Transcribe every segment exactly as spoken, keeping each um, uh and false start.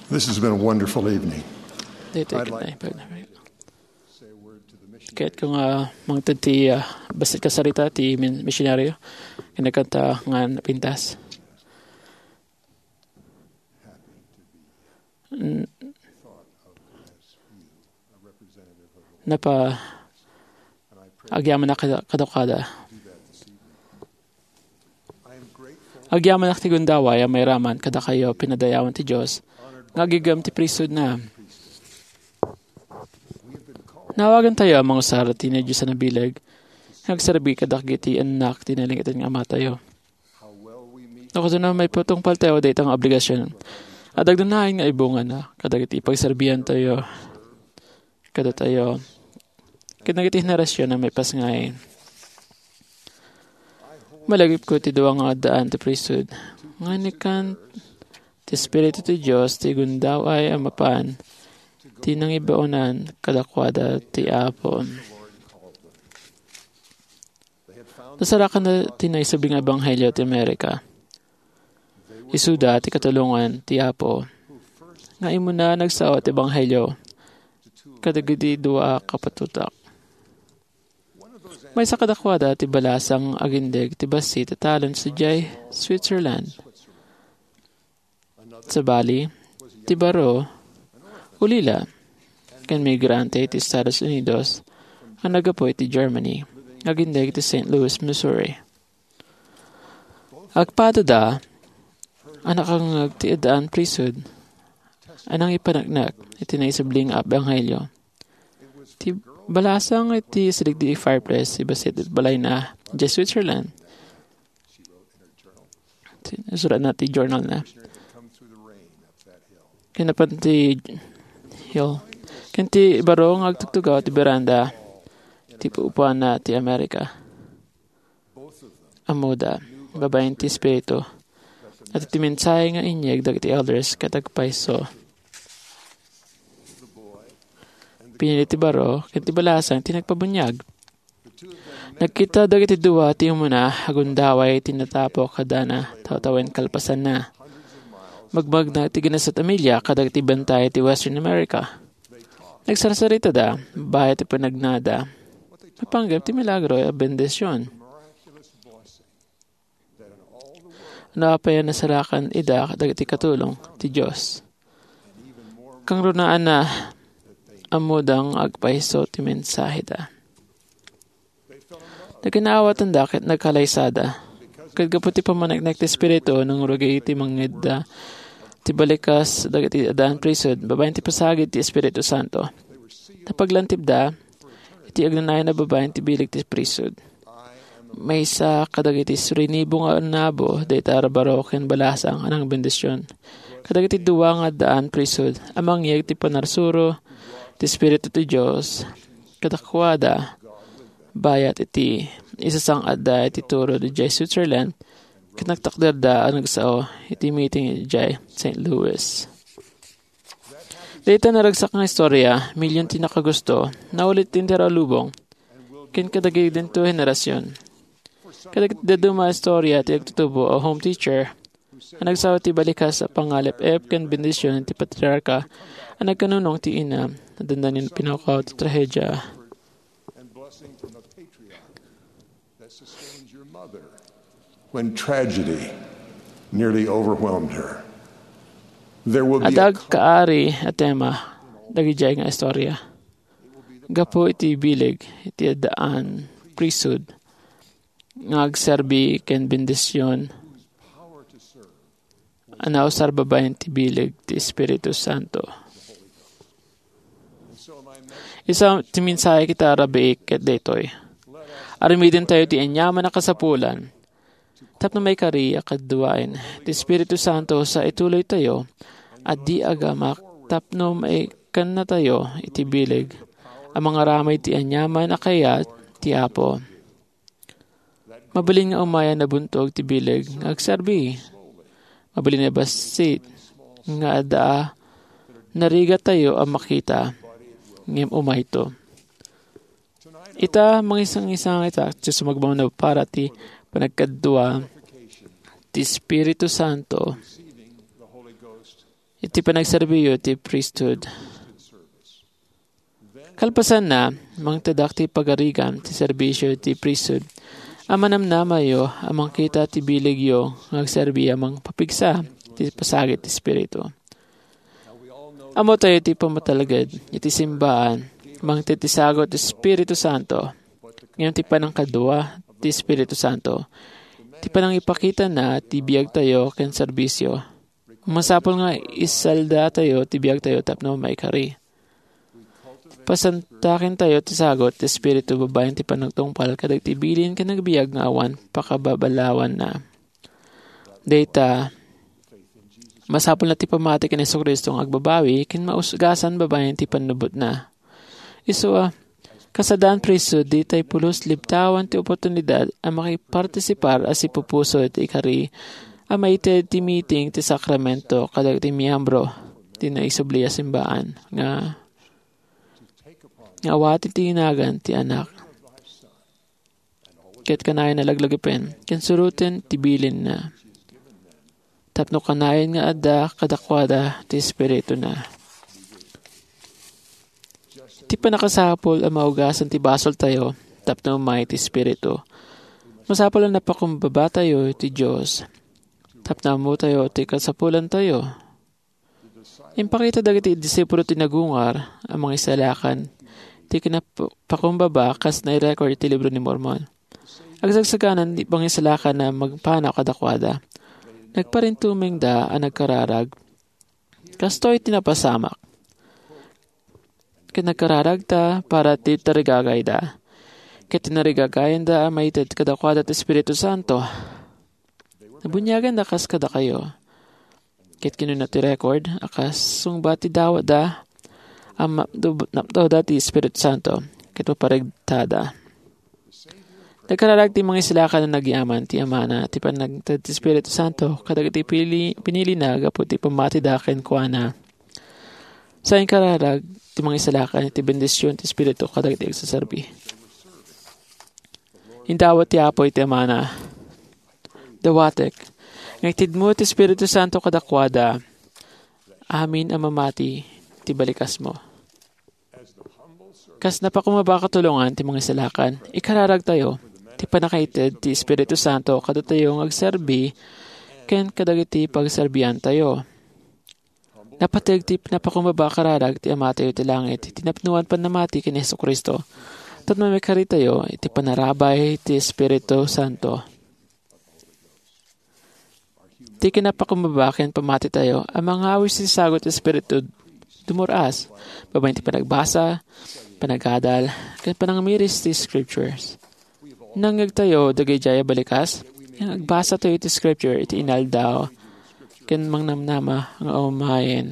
This has been a wonderful evening. Dito I'd ikit like na ipag-, Kaya't ko nga mangted ti, ah, bassit kasarita ti min-, misyonaryo. Kinakanta nga napintas. N-, napa-, agyamanak kada-, kadakada. Agyamanak ti gundaway a mairaman kadakayo pinadayawan ti Dios nga agigem ti priesthood na. Naawagan tayo a mangusar ti nadiosan a bileg nga agserbi kadagiti annak ti nalingted nga Amatayo. No kasano maipatungpal tayo dayta nga obligasion? Adda agdanaen nga ibungan na kadagiti pagserbian tayo kadatayo ken dagiti henerasyon a maipasengngayo. Malagipko ti dua nga addaan ti priesthood nga inkan ti Espiritu ti Dios ti gundaway a mapan ti nangibaonan kadakuada ti Apo. Nasarakan ti naisubli nga ebanghelio ti Amerika. Isuda ti katulongan ti Apo nga immuna nagsao ti ebanghelio kadagiti dua a kapatutak. Maysa kadakuada ti balasang agindeg ti bassit a talon sadiay Switzerland. Sabali, ti baro, ulila, ken migrante iti Estados Unidos a naggapu iti Germany, agindeg iti Saint Louis, Missouri. Agpadada a nakangngeg ti addaan priesthood a nangipaneknek iti naisubli nga ebanghelio. Ti balasang iti sideg ti fireplace ti bassit iti balayna idiay Switzerland. Ti, isuratna ti journal na. Ken napan ti hill. Ken ti baro nga agtugtugaw ti beranda ti pupuana ti Amerika. Ammoda, babaen ti Espiritu. Iti mensahe nga inyeg dagiti elders ket agpayso. Pinili ti baro ken ti balasang ti nagpabuniag. Nagkita dagiti dua ti umuna a gundaway ti natapok kadana tawtawen kalpasanna. Magmagna ti ginasat a milia kadagiti bantay ti Western America. Nagsarsaritada, bayat ti panagnada. Napanggep ti milagro a bendision. No apay a nasarakan ida dagiti katulong ti Dios. Kangrunaanna, ammoda nga agpayso ti mensaheda. Nagkinaawatanda ket nagkalaysada. Ket gapu ti pammaneknek ti Espiritu, nangrugi ti mangngegda ti balikas dagiti addaan priesthood babaen ti pasagid ti Espiritu Santo. Napaglantipda iti agnanayon a babaen ti bileg ti priesthood. Maysa kadagiti surinebu nga nabo dayta a baro ken balasang a nangbendision kadagiti dua nga addaan priesthood a mangyeg ti panarsuro ti Espiritu ti Dios kadakuada bayat iti isasang-atda iti turo idiay Switzerland ket nagtakderda a nagsao iti meeting idiay Saint Louis. Dayta naragsak nga istorya, milyon ti nakagusto, naulit ti inter a lubong, ken kadagidinto a henerasion. Kadagiti dadduma a istorya ti agtutubo a home teacher a nagsao ti balikas a pangalep-ep ken bendision ti patriarka a nagkanunong ti ina a dandanin pinakaw ti trahedia. When tragedy nearly overwhelmed her. There will be Adda a agkaari a tema dagidiay nga istorya. Gapu iti bileg iti addaan priesthood nga agserbi ken bendision a nausar babaen ti bileg ti Espiritu Santo. Isu ti mensahe ita a rabii ket daytoy. Aramidentayo ti aniaman a kasapulan tapno maikari a kaduaen ti Espiritu Santo sa ituloytayo a di agamak tapno maikannatayo iti bileg a mangaramid ti aniaman a kayat ti Apo. Mabalin nga umay a nabuntog ti bileg nga agserbi. Mabalin a bassit nga adda a narigatayo a makita, ngem umayto. Ita, mangisang-isang ita, ti sumagmamano para ti panagkadua ti Espiritu Santo. iti panagserbiyo ti priesthood. Kalpasanna, mangtedak ti pagarigan ti serbisyo ti priesthood a manamnamayo a mangkita ti biligyo nga agserbi a mangpapigsa ti pasagit ti Espiritu. Ammo tayo ti pamatalged iti simbaan, mangted ti sagut ti Espiritu Santo. Ngem ti panangkadua ti Espiritu Santo, ti panangipakitana ti biagtayo ken serbisyo. Masapul nga isaldatayo ti biagtayo tapno maikari. Pasantakintayo ti sagut ti Espiritu babaen ti panagtungpal kadagiti bilin ken agbiag nga awan pakababalawanna. Dayta, masapulna ti pammati ken Jesu-Cristo nga agbabawi ken maugasan babaen ti pannubbotna. Isu a, kasadan priesthood, ditay pulos libtawan ti oportunidad a makipartisipar a sipupuso iti ikari a maited ti meeting ti sakramento kadagiti miyembro ti naisubli a simbaan nga, nga awati ti nagan ti Anak. Ket kanayon a laglagipen ken suroten ti bilinna, tapno kanayon nga adda kadakuada ti Espirituna. Ti pannakasapul a maugasan ti basoltayo tapno umay ti Espiritu. Masapul a napakumbabatayo iti Dios tapno ammotayo ti kasapulantayo. Impakita dagiti disipulo ti nagungar a mangisalakan ti kinapakumbaba kas nairecord iti Libro ni Mormon. Agsagsaganan ti mangisalakan a mangpanaw kadakuada. Nagparintumengda a nagkararag. Kastoy ti napasamak. Ket nagkararagda para ti tarigagayda. Ket tinarigagayanda a maited kadakuada ti Espiritu Santo. Nabuniaganda kas kadakayo. Ket kinuna ti record a kas sungbat ti dawatda a mapdo-, napnoda ti Espiritu Santo ket maparegtada. Nagkararag ti mangisalakan a nagyaman ti Amana ti panagted ti Espiritu Santo kadagiti pili-, pinilina gapu ti pammatida kenkuana. Sa inkararag ti mangisalakan iti bendision ti Espiritu kadagiti agsaserbi. Indawat ti Apo iti Amana. Dawatek nga itedmo ti Espiritu Santo kadakuada amin a mamati ti balikasmo. Kas napakumbaba a katulongan ti mangisalakan, ikararagtayo ti pannakaited ti Espiritu Santo kadatayo nga agserbi ken kadagiti pagserbiantayo. Napateg ti napakumbaba a kararag ti Amatayo ti langit iti napnoan pannamati ken ni Jesu-Cristo tapno maikaritayo iti panarabay ti Espiritu Santo. Ti kinapakumbaba ken pammatitayo a mangawis ti sagut ti Espiritu dumur-as babaen ti panagbasa, panagadal, ken panangamiris ti Scriptures. Nangngegtayo dagidiay a balikas nga agbasatayo iti Scripture iti inaldaw ken mangnamnama nga umayen.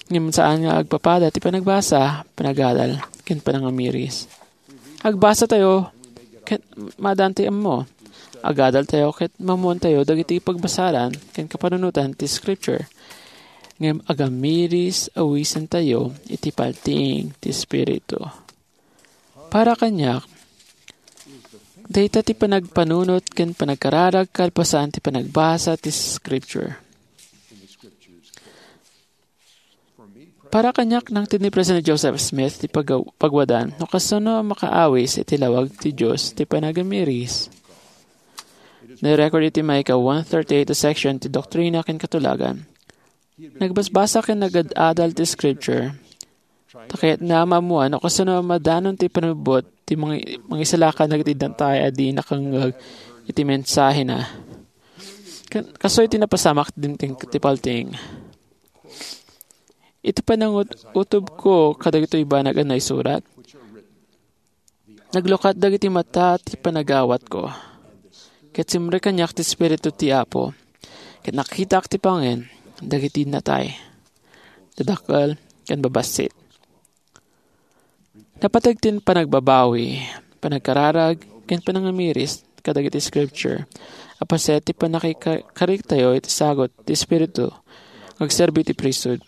Ngem saan nga agpapada ti panagbasa, panagadal, ken panangamiris. Agbasatayo ket maadantayo ammo. Agadaltayo ket maammoantayo dagiti pagbasaran ken kapanunotan ti Scripture. Ngem agamiris awisentayo iti paltiing ti Espiritu. Para kaniak, dayta ti panagpanunot ken panagkararag kalpasan ti panagbasa ti Scripture. Para kaniak, nangted ni President Joseph Smith ti pagaw-, pagwadan no kasano a makaawis iti lawag ti Dios ti panagamiris. Nairecord iti maika one thirty-eight a section ti Doktrina ken Katulagan. Nagbasbasa ken nagad-adal ti Scripture. Ta kayatna a maammoan no kasano a madanon ti pannubbot ti mangi-, mangisalakan dagiti natay a di nakangngeg iti mensahena. Kan-, kastoy ti napasamak dimteng ti paltiing. Iti panangut-, utobko kadagitoy banag a naisurat, naglukat dagiti mata ti panagawatko, ket simrek kaniak ti Espiritu ti Apo, ket nakitak ti pangen dagiti natay, dadakkel ken babassit. Napateg ti panagbabawi, panagkararag, ken panangamiris kadagiti Scripture a paset ti pannakika-, kariktayo iti sagut ti Espiritu nga agserbi ti priesthood.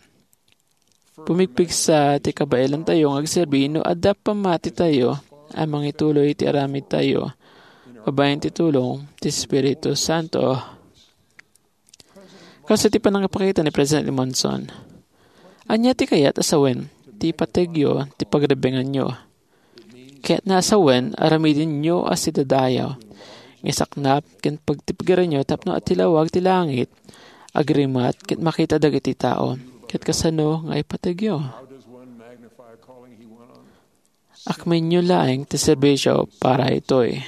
Pumigpigsa ti kabaelantayo nga agserbi no adda pammatitayo a mangituloy iti aramidtayo babaen ti tulong ti Espiritu Santo. Kas iti panangipakita ni President Monson, ania ti kayat a sawen ti ipategyo ti pagrebbenganyo? Kayatna a sawen, aramidenyo a sidadayaw nga isaknap ken pagtipgerenyo tapno atilawag ti langit, agrimat ket makita dagiti tao. Ket kasano nga ipategyo? Akmenyo laeng ti serbisio para itoy.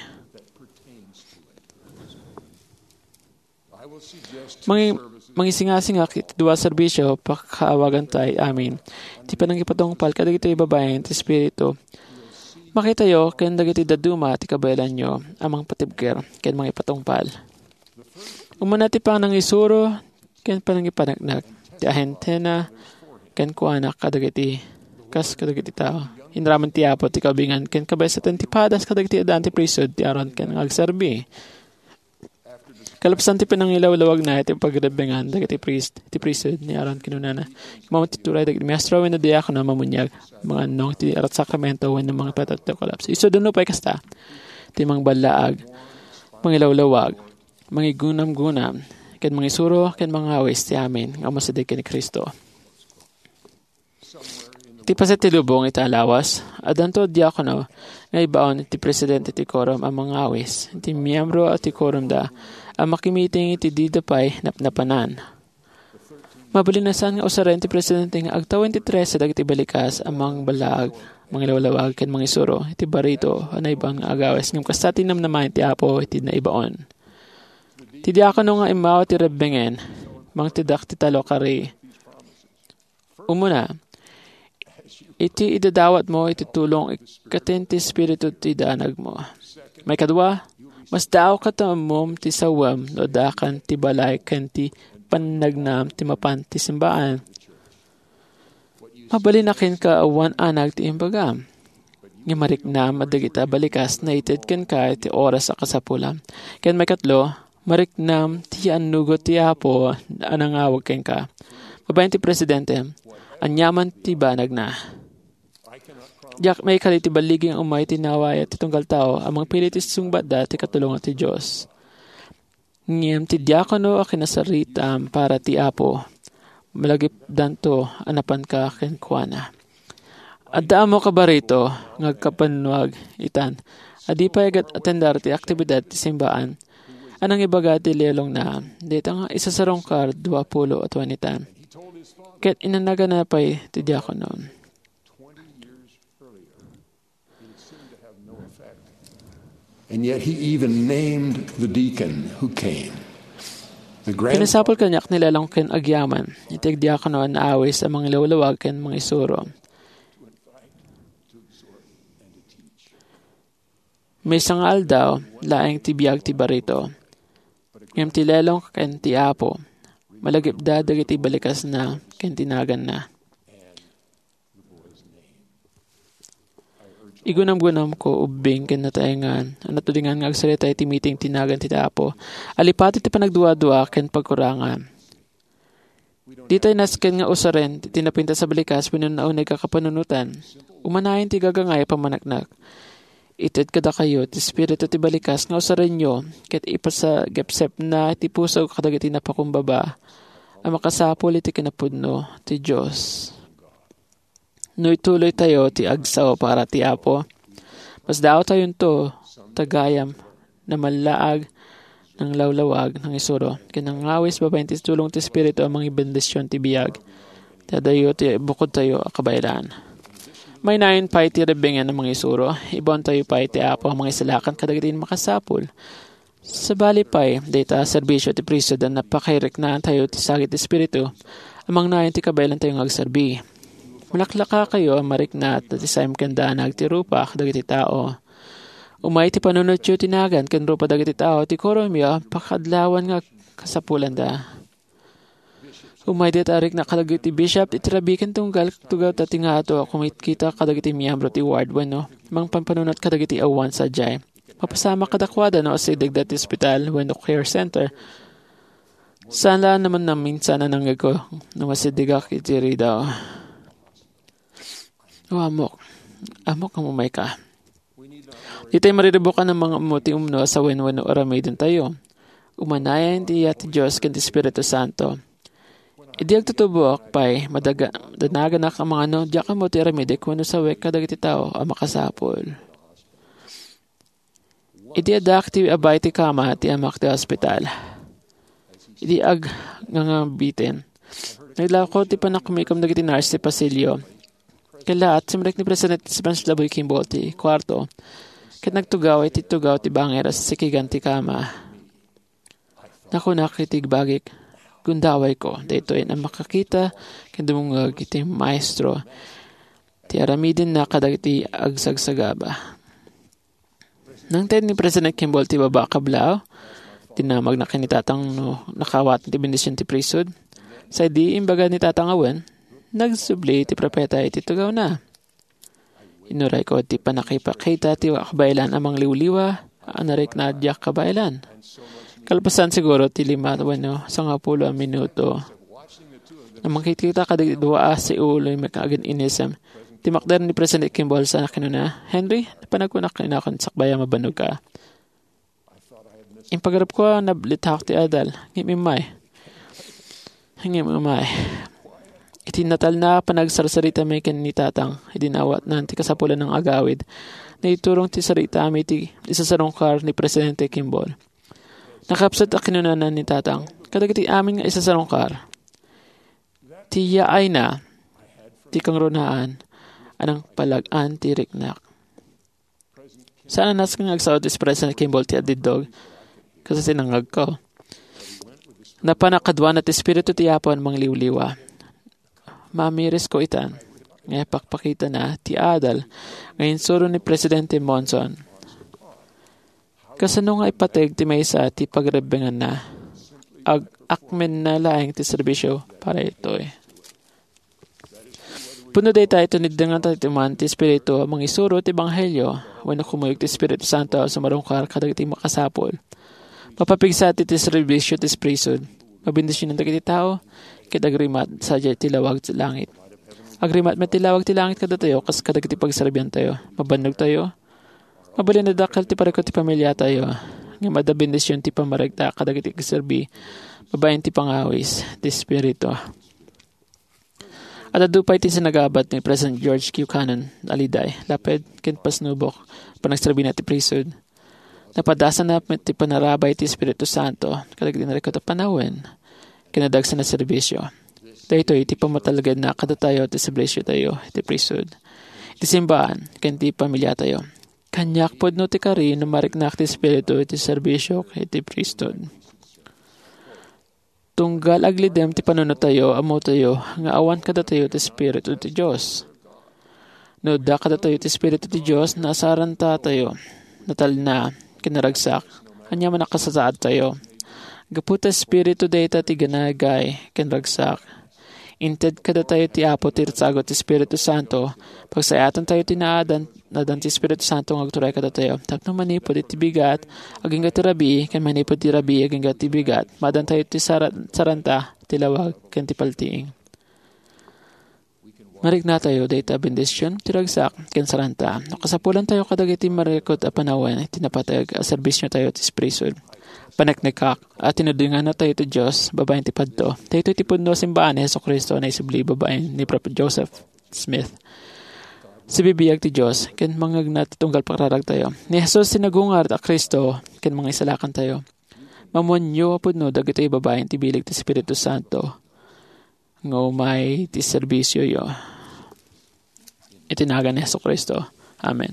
Mangi-, mangisingasingak iti dua a serbisio, pakaawaganta amin ti panangipatungpal kadagiti babaen ti Espiritu. Makitayo ken dagiti dadduma ti kabaelanyo a mangpatibker ken mangipatungpal. Umuna ti panangisuro ken panangipaneknek ti ahentena kenkuana kadagiti kas kadagiti tao. Inaraman ti Apo ti kaubingan ken kabaysaten ti padas kadagiti addaan ti priesthood ti Aaron ken nga agserbi. Kalpasan ti pinangilawlawagna iti pagrebbengan dagiti priest, ti priesthood ni Aaron, kinunana, "Immawon ti turay dagiti maestro wenno diakono a mamuniag, mangannong ti sakramento wenno mangipatay ti kolaps." Isu duno pay kasta, ti mangballaag, mangilawlawag, mangigunamgunam, ken mangisuro ken mangawis ti amin nga umasideg ken ni Cristo. Iti paset ti lubong ita a lawas, addanto diakono nga ibaon iti presidente ti quorum a mangawis, iti miyembro a ti quorumda a makimiting iti dida pay napnapanan. Mabalin a saan nga usaren ti presidente nga agtawen ti trese dagiti balikas a mangballaag, mangilawlawag, ken mangisuro iti barito a naibaon nga agawis, ngem kasta ti namnamaen ti Apo iti naibaon. Ti diakono nga immawat ti rebbengen, mangtedak ti tallo a kari. Umuna, iti idadawatmo iti tulong ikkaten ti Espiritu ti danagmo. Maikadua, masdaawka ta ummom ti sawem no addakan ti balay ken ti pannagnam ti mapan ti simbaan. Mabalin a kenka awan anag ti imbagam. Nga mariknam a dagita balikas naited kenka iti oras a kasapulam. Ken maikatlo, mariknam ti annugot ti Apo a nangawag kenka. Babaen ti presidente, aniaman ti banagna. Diak maikali ti balligi nga umay ti nawaya ti tunggal tao a mangpili ti sungbatda ti katulongan ti Dios. Ngem ti diakono a kinasaritam para ti Apo, malagipdanto a napanka kenkuana. Adda ammok a barito nga agkapannuag itan a di pay agatender ti aktibidad ti simbaan a nangibaga ti lelongna dayta nga isasarungkar dua pulo a tuanitan. Ket inanagana pay ti diakono. And yet he even named the deacon who came. The grand- Kinasapul kaniak ni Lelong ken agyaman iti agdiakono a naawis a mangilawlawag ken mangisuro. Maysa nga aldaw, laeng ti biag ti barito. Ngem ti Lelong ken ti Apo, malagipda dagiti balikasna ken ti naganna. Igunamgunamko ubbing ken nataengan a natudengan nga agsarita iti meeting ti nagan ti Apo a lipati ti panagduadua ken pagkurangan. Ditay nasken nga usaren ti napintas a balikas wenno nauneg a kapanunotan. Umanayon ti gagangay a pammaneknek. Ited kadakayo ti espiritu ti balikas nga usarenyo ket ipasagepsepna ti puso kadagiti napakumbaba a makasapul iti kinapudno ti Dios. No ituloytayo ti agsao para ti Apo, masdaawtayonto ta gayam namallaag, nanglawlawag, nangisuro, ken nangawis babaen ti tulong ti Espiritu a mangibendision ti biag ti adayo ti bukodtayo a kabaelan. Mainayon pay ti rebbengen a mangisuro, ibaontayo pay ti Apo a mangisalakan kadagiti makasapul. Sabali pay, dayta a serbisio ti priesthood a napakairiknaantayo ti sagid ti Espiritu a mangnayon ti kabaelantayo nga agserbi. Malaklakakayo a marikna ta ti saem ken danag ti rupa kadagiti tao. Umay ti panunotyo ti nagan ken rupa dagiti tao ti kuromyo a pakaadlawan nga kasapulanda. Umay dayta a rikna kadagiti bishop iti rabii ken tunggal tugaw ta ti ngato a kumitkita kadagiti miyembro ti ward wenno mangpampanunot kadagiti awan sadiay. Mapasamak kadakuada no asidegda ti ospital wenno care center. Saan la naman naminsan a nangngegko no masidegak iti ridaw. O Amok, Amok, nga umayka. Ditay mariribukan a mangammo ti umno a sawen wenno aramidentayo. Umanayon ti iyat ti Dios ken ti Espiritu Santo. Idi agtutuboak pay, madaga-, danaganak a mangano, diak ammo ti aramidek wenno sawek kadagiti tao a makasapul. Idi addaak ti abay ti kama ti amak ti ospital. Idi ag-, ngangabiten, naglako ti panakumikom dagiti nurse ti pasilio. Kalaat, simrek ni President Spencer W. Kimball ti kuarto, ket nagtugaw iti tugaw ti bangir a sisikigan ti kama. Nakunak iti igbagik, "Gundawayko, daytoy a makakita ken dumungag iti Maestro ti aramidenna kadagiti agsagsagaba." Nangted ni President Kimball ti baba a kablaaw, dinamagna ken ni Tatang no nakaawat ti bendision ti priesthood. Sa idi imbaga ni Tatang a wen, nagsubli ti propeta iti tugawna. Inurayko ti pannakipakita ti kabaelan a mangliwliwa a narikna a diak kabaelan. Kalpasan siguro ti lima wenno sangapulo a minuto, a mangkitkita kadagiti dua a siuloy nga agin-inisem, timakder ni President Kimball sa kinuna, "Henry, napanagkunak inakon sakbay a mabannog ka." Impagarupko a nablitahak ti adal, ngem immay. Ngem immay. Iti natalna a panagsarsarita mi ken ni Tatang, idi naawatnan ti kasapulan nga agawid, naiturong ti saritami iti isasarungkar ni Presidente Kimball. Nakapsut a kinunana ni Tatang, kadagiti amin nga isasarungkar, ti yaayna, ti kangrunaan, a nangpalag-an ti riknak. Saan a nasken nga agsaw ti President Kimball ti adiddog, kas sinangagko. Napan a kaduana ti Espiritu ti Apo a mangliwliwa. Mamirisko itan, nga ipakpakitana ti adal nga insuro ni Presidente Monson. Kasano nga ipateg ti maysa ti pagrebbenganna? Ag-akmenna laeng ti serbisio para itoy. Pudno dayta iti niddangan tayo ti man ti Espiritu a mangisuro ti Ebanghelio, wenno kumuyog ti Espiritu Santo a sumarungkar kadagiti makasapul. Mapapigsa ti, ti serbisio ti priesthood. Mabendisionan dagiti tao, ket agrimat sadiay ti lawag ti langit. Agrimat met ti lawag ti langit kadatayo kas kadagiti pagserbiantayo. Mabannog tayo. Mabalin a dakkel ti parikut ti pamiliatayo. Ngem adda bendision ti pammarikta kadagiti agserbi babaen ti pangawis ti Espiritu. Adda pay ti sinagabat ni President George Q. Cannon, Aliday, Laped, ken Pasnubok, panagserbina ti priesthood. Napadasanna met ti panarabay ti Espiritu Santo kadagiti narikut a panawen ken nadagsen a serbisio. Daytoy ti pammatalgedna kadatayo ti serbisiotayo iti priesthood, iti simbahan, ken ti pamiliatayo. Kaniak pudno ti kari no mariknak ti Espiritu iti serbisio iti priesthood. Tunggal aglidem ti panunotayo, ammotayo nga awan kadatayo ti Espiritu ti Dios. No adda kadatayo ti Espiritu ti Dios, nasarantatayo, natalna, ken naragsak, aniaman a kasasaadtayo. Gapu ta Espiritu dayta ti ginagay ken ragsak. Inted kadatayo ti Apo ti sagut ti Espiritu Santo, pagsayaatantayo ti naadan, naadan ti Espiritu Santo nga agturay kadatayo. Tapno manipud iti bigat, agingga ti rabii, ken manipud ti rabii, agingga ti bigat, maadantayo ti sara-, saranta, ti lawag, ken ti paltiing. Mariknatayo dayta bendision ti ragsak ken saranta no kasapulantayo kadagiti marikut a panawen ti napateg a serbisiotayo ti priesthood. Paneknekak a tinudingannatayo ti Dios babaen ti padto. Daytoy ti pudno a simbaan ni Jesu-Cristo a naisubli babaen ni Propet Joseph Smith. Sibibiag ti Dios ken mangngegna ti tunggal pakararagtayo. Ni Jesus ti nagungar a Cristo ken Mangisalakantayo. Maammoanyo a pudno dagitoy babaen ti bileg ti Espiritu Santo nga umay ti serbisioyo. Iti nagan ni Jesu-Cristo. Amen.